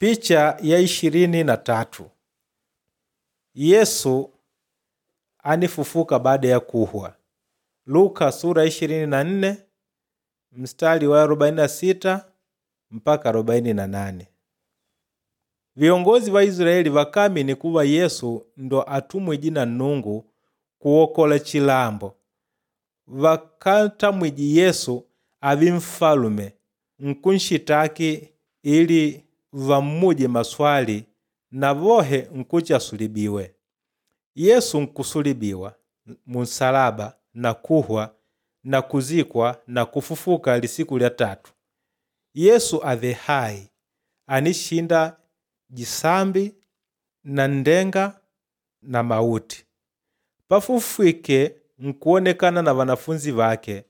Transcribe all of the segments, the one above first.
Picha ya 23. Yesu anifufuka baada ya kuhwa. Luka sura 24 mstari wa 46 mpaka 48. Viongozi va Israeli vakamini kuva Yesu ndo atumwiji na Nnungu kuwokola chilambo. Vakantamwiji Yesu avi mfalume nkunshitaki ili vammuje maswali na vohe nkuti asulibiwe. Yesu nkusulibiwa munsalaba na kuhwa na kuzikwa na kufufuka lisiku lya tatu. Yesu ave hai, anishinda jisambi na ndenga na mauti. Pafufwike nkuonekana na vanafunzi vake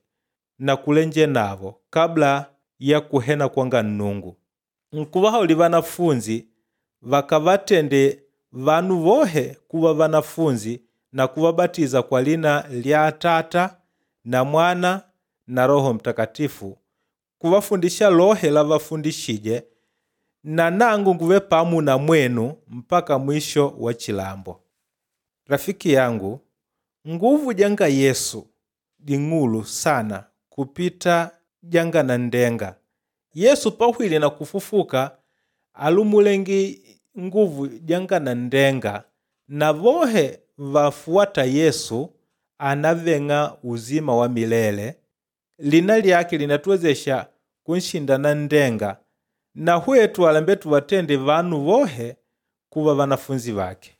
na kulenje navo kabla ya kuhena kwanga Nnungu. Nkuvahauli vanafunzi vakavatende vanu vohe kuva vanafunzi na kuvabatiza kwa lina lya Atata na Mwana na Roho Mtakatifu, kuvafundisha lohe lavafundishije, na nangu nguve pamu na mwenu mpaka mwisho wa chilambo. Rafiki yangu, nguvu janga Yesu ding'ulu sana kupita janga na ndenga. Yesu pahwile na kufufuka alumulengi nguvu janga na ndenga na vohe vafuata Yesu anaveng'a uzima wa milele. Lina lyake linatuwezesha kunshinda na ndenga na hwetu alambe tuvatende vanu vohe kuva vanafunzi vake.